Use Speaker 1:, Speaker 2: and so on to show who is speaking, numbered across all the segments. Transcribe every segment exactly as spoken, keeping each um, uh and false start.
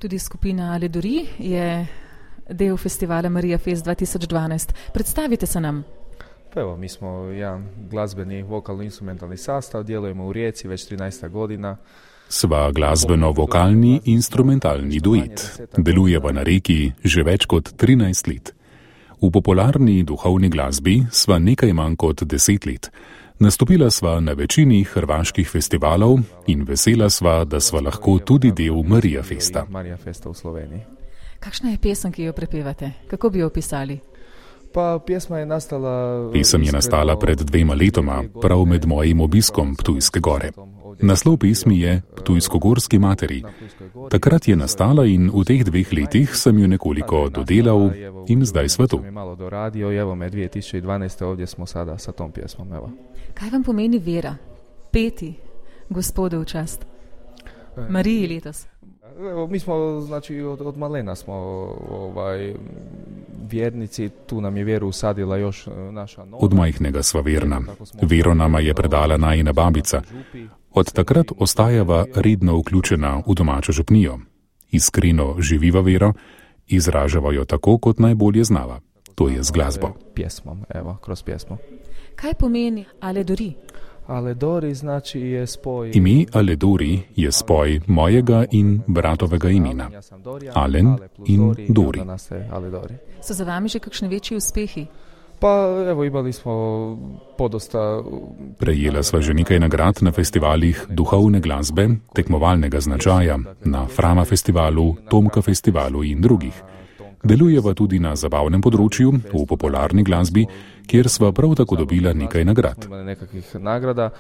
Speaker 1: Tudi skupina Aledori je del festivala Marija Fest dva tisoč dvanajst. Predstavite se nam.
Speaker 2: Pa evo, mi smo jedan glazbeni vokalno-instrumentalni sastav, djelujemo u Rijeci već trinaest godina.
Speaker 3: Sva glasbeno-vokalni instrumentalni duet. Delujeva na Reki že več kot trinajst let. V popularni duhovni glasbi sva nekaj manj kot deset let. Nastopila sva na večini hrvaških festivalov in vesela sva, da sva lahko tudi del Marija Festa.
Speaker 2: Marija Festa v Sloveniji.
Speaker 1: Kakšna je pesem, ki jo prepevate? Kako bi jo opisali?
Speaker 2: Pa pjesma je nastala...
Speaker 3: Pesem je nastala pred dvema letoma, prav med mojim obiskom Ptujske gore. Naslov pesmi je Ptujsko-gorski materi. Takrat je nastala in v teh dveh letih sem jo nekoliko dodelal in zdaj sva tu.
Speaker 2: Malo doradio i evo me dvije tisuće dvanaeste ovdje smo sada sa tom pjesmom. Evo.
Speaker 1: Kaj vam pomeni vera? Peti Gospodu v čast. Mariji letos.
Speaker 2: Evo, mi smo, znači, od, od malena smo ovaj, vjernici, tu nam je vjeru usadila još naša nova.
Speaker 3: Od majhnega sva verna. Vero nama je predala najina babica. Od takrat ostajava redno vključena v domačo župnijo. Iskreno živiva vero, izražava jo tako, kot najbolje znava. To je z glasbo.
Speaker 2: Pjesmom, evo, kroz pjesmo.
Speaker 1: Kaj pomeni Aledori?
Speaker 2: Aledori znači je spoj...
Speaker 3: Ime Aledori je spoj mojega in bratovega imena. Alen in Dori.
Speaker 1: So za vami že kakšni večji uspehi?
Speaker 2: Pa evo, imali smo podosta...
Speaker 3: Prejela sva že nekaj nagrad na festivalih duhovne glasbe, tekmovalnega značaja, na Frama festivalu, Tomka festivalu in drugih. Delujeva tudi na zabavnem področju, v popularni glasbi, kjer sva prav tako dobila nekaj nagrad.
Speaker 2: Nekakvih nagrada,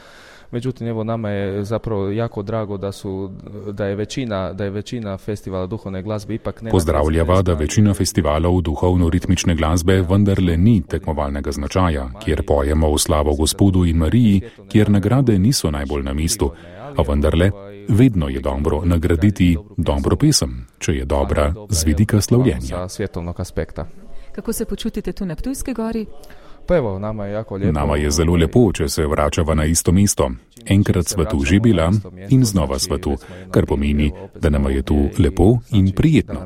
Speaker 2: međutim, evo, nama je zapravo jako drago da su, da je većina, da je većina festivala duhovne glazbe ipak ne...
Speaker 3: Pozdravljava, da večina festivalov duhovno-ritmične glasbe vendarle ni tekmovalnega značaja, kjer pojemo v slavo Gospodu in Mariji, kjer nagrade niso najbolj na mestu, a vendarle vedno je dobro nagraditi dobro pesem, če je dobra z vidika slavljenja.
Speaker 1: Kako se počutite tu na Ptujski gori?
Speaker 2: Pa evo, nama je jako lijepo.
Speaker 3: Nama je zelo lepo, če se vračava na isto mesto. Enkrat sva tu že bila in znova sva tu, kar pomeni, da nama je tu lepo in prijetno.